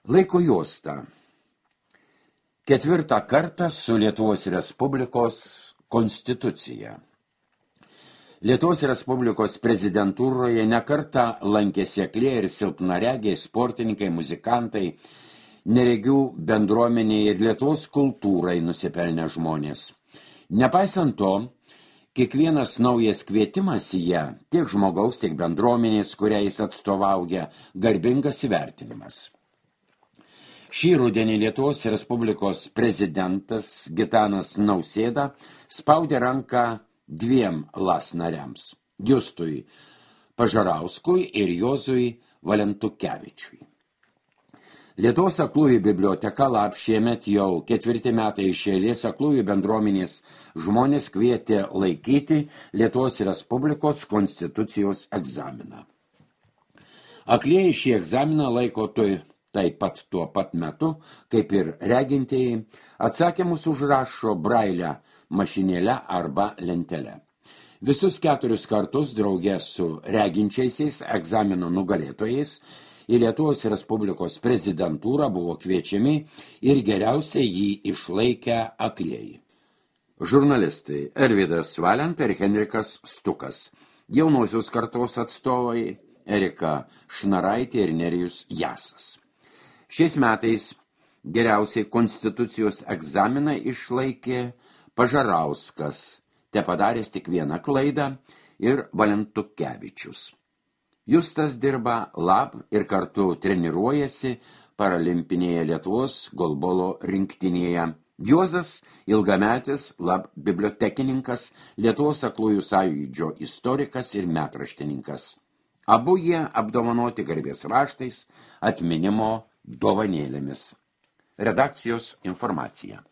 Laiko juosta. Ketvirtą kartą su Lietuvos Respublikos konstitucija. Lietuvos Respublikos prezidentūroje nekartą lankėsi aklieji ir silpnaregiai, sportininkai, muzikantai, neregių bendruomenėje ir Lietuvos kultūrai nusipelnę žmonės. Nepaisant to, kiekvienas naujas kvietimas į ją, tiek žmogaus, tiek bendruomenės, kurią jis atstovauja, garbingas įvertinimas. Šį rudenį Lietuvos Respublikos prezidentas Gitanas Nausėda spaudė ranką dviem LAS nariams – Justui Pažarauskui ir Juozui Valentukevičiui. Lietuvos aklųjų biblioteka LAB šiemet jau 4 metai iš eilės aklųjų bendruomenės žmonės kvietė laikyti Lietuvos Respublikos konstitucijos egzaminą. Aklieji šį egzaminą laiko taip pat tuo pat metu, kaip ir regintieji, atsakymus užrašo brailę mašinėle arba lentelę. Visus 4 kartus drauge su reginčiaisiais egzamino nugalėtojais į Lietuvos Respublikos prezidentūrą buvo kviečiami ir geriausiai jį išlaikę aklieji. Žurnalistai Arvydas Valenta ir Henrikas Stukas, jaunosios kartos atstovai Erika Šnaraitė ir Nerijus Jasas. Šiais metais geriausiai konstitucijos egzaminą išlaikė Pažarauskas, tepadaręs tik vieną klaidą, ir Valentukevičius. Justas dirba LAB ir kartu treniruojasi paralimpinėje Lietuvos golbolo rinktinėje. Juozas ilgametis LAB bibliotekininkas, Lietuvos aklųjų sąjūdžio istorikas ir metraštininkas. Abu jie apdovanoti garbės raštais, atminimo dovanėlėmis. Redakcijos informacija.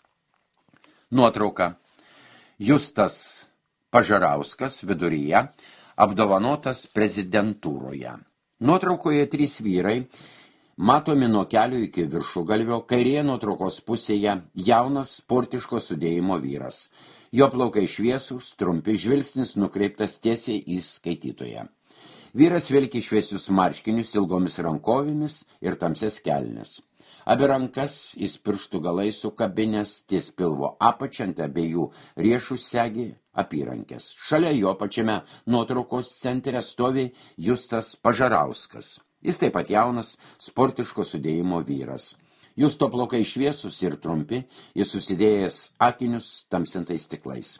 Nuotrauka. Justas Pažarauskas viduryje apdovanotas prezidentūroje. Nuotraukoje 3 vyrai, matomi nuo kelio iki viršugalvio, kairėje nuotraukos pusėje jaunas sportiško sudėjimo vyras. Jo plaukai šviesūs, trumpi, žvilgsnis nukreiptas tiesiai į skaitytoją. Vyras vilki šviesius marškinius ilgomis rankovėmis ir tamsias kelnes. Abi rankas jis pirštų galais sukabinęs ties pilvo apačia, ant abiejų riešų segi apyrankės. Šalia jo pačiame nuotraukos centre stovi Justas Pažarauskas. Jis taip pat jaunas, sportiško sudėjimo vyras. Justo plaukai šviesus ir trumpi, jis susidėjęs akinius tamsintais stiklais.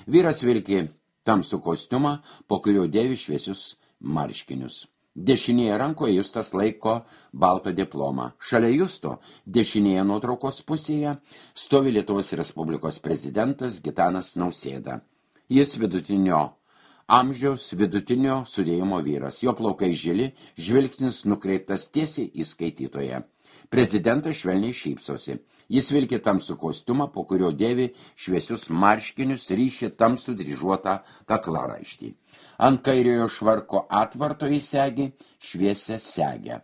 Vyras vilki tamsų kostiumą, po kurio dėvi šviesius marškinius. Dešinėje rankoje Justas laiko baltą diplomą. Šalia Justo, dešinėje nuotraukos pusėje, stovi Lietuvos Respublikos prezidentas Gitanas Nausėda. Jis vidutinio amžiaus, vidutinio sudėjimo vyras. Jo plaukai žili, žvilgsnis nukreiptas tiesiai į skaitytoją. Prezidentas švelniai šypsosi. Jis vilki tamsų kostiumą, po kurio dėvi šviesius marškinius, ryši tamsų dryžuotą kaklaraištį. Ant kairiojo švarko atvarto įsegi šviesią segę.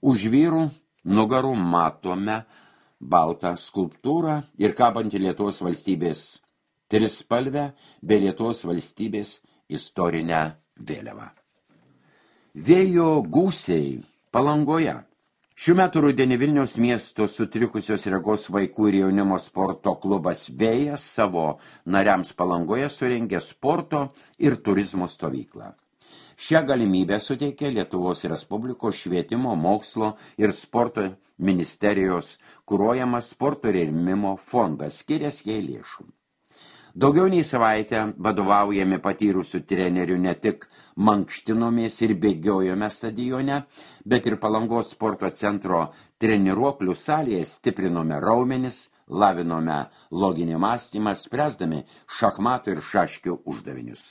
Už vyrų nugarų matome baltą skulptūrą ir kabantį Lietuvos valstybės trispalvę bei Lietuvos valstybės istorinę vėliavą. Vėjo gūsiai Palangoje. Šių metų rudenį Vilniaus miesto sutrikusios regos vaikų ir jaunimo sporto klubas Vėjas savo nariams Palangoje surengė sporto ir turizmo stovyklą. Šią galimybę suteikė Lietuvos Respublikos švietimo, mokslo ir sporto ministerijos kuruojamas sporto rėmimo fondas, skirias jai lėšų. Daugiau nei savaitę vadovaujami patyrusių trenerių ne tik mankštinomės ir bėgiojome stadione, bet ir Palangos sporto centro treniruoklių salėje stiprinome raumenis, lavinome loginį mąstymą, spręsdami šachmatų ir šaškių uždavinius.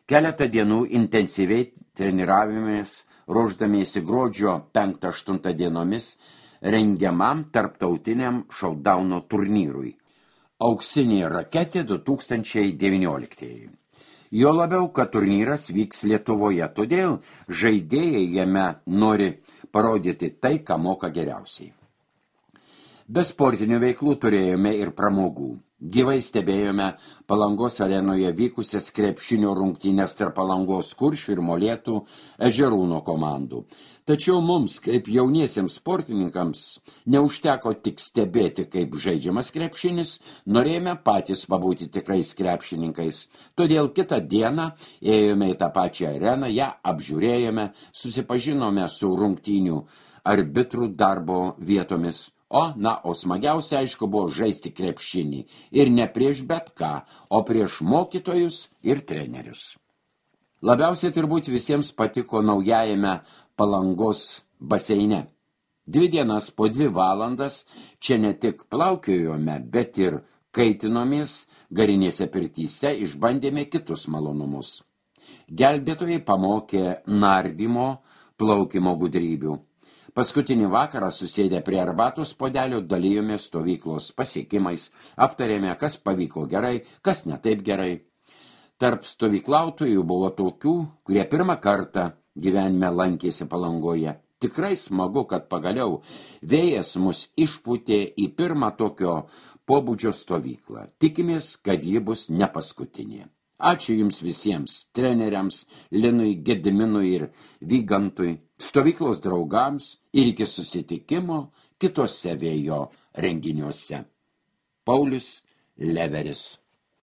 Keletą dienų intensyviai treniravomės, ruošdamiesi gruodžio 5-8 dienomis rengiamam tarptautiniam šaudauno turnyrui. Auksinė raketė 2019. Jo labiau, kad turnyras vyks Lietuvoje, todėl žaidėjai jame nori parodyti tai, ką moka geriausiai. Be sportinių veiklų turėjome ir pramogų. Gyvai stebėjome Palangos arenoje vykusias krepšinio rungtynes tarp Palangos Kuršių ir Molėtų Ežerūno komandų. Tačiau mums, kaip jauniesiems sportininkams, neužteko tik stebėti, kaip žaidžiamas krepšinis, norėjome patys pabūti tikrais krepšininkais. Todėl kitą dieną ėjome į tą pačią areną, ją apžiūrėjome, susipažinome su rungtynių arbitrų darbo vietomis. O smagiausia, aišku, buvo žaisti krepšinį. Ir ne prieš bet ką, o prieš mokytojus ir trenerius. Labiausiai turbūt visiems patiko naujajame Palangos baseine. 2 dienas po 2 valandas čia ne tik plaukiojome, bet ir kaitinomės garinėse pirtyse, išbandėme kitus malonumus. Gelbėtojai pamokė nardymo, plaukimo gudrybių. Paskutinį vakarą susėdę prie arbatos puodelio dalijomės stovyklos pasiekimais, aptarėme, kas pavyko gerai, kas ne taip gerai. Tarp stovyklautojų buvo tokių, kurie pirmą kartą gyvenime lankėsi Palangoje. Tikrai smagu, kad pagaliau vėjas mus išpūtė į pirmą tokio pobūdžio stovyklą. Tikimės, kad ji bus ne paskutinė. Ačiū jums visiems, treneriams, Linui, Gediminui ir Vygantui, stovyklos draugams ir iki susitikimo kitose vėjo renginiuose. Paulius Leveris.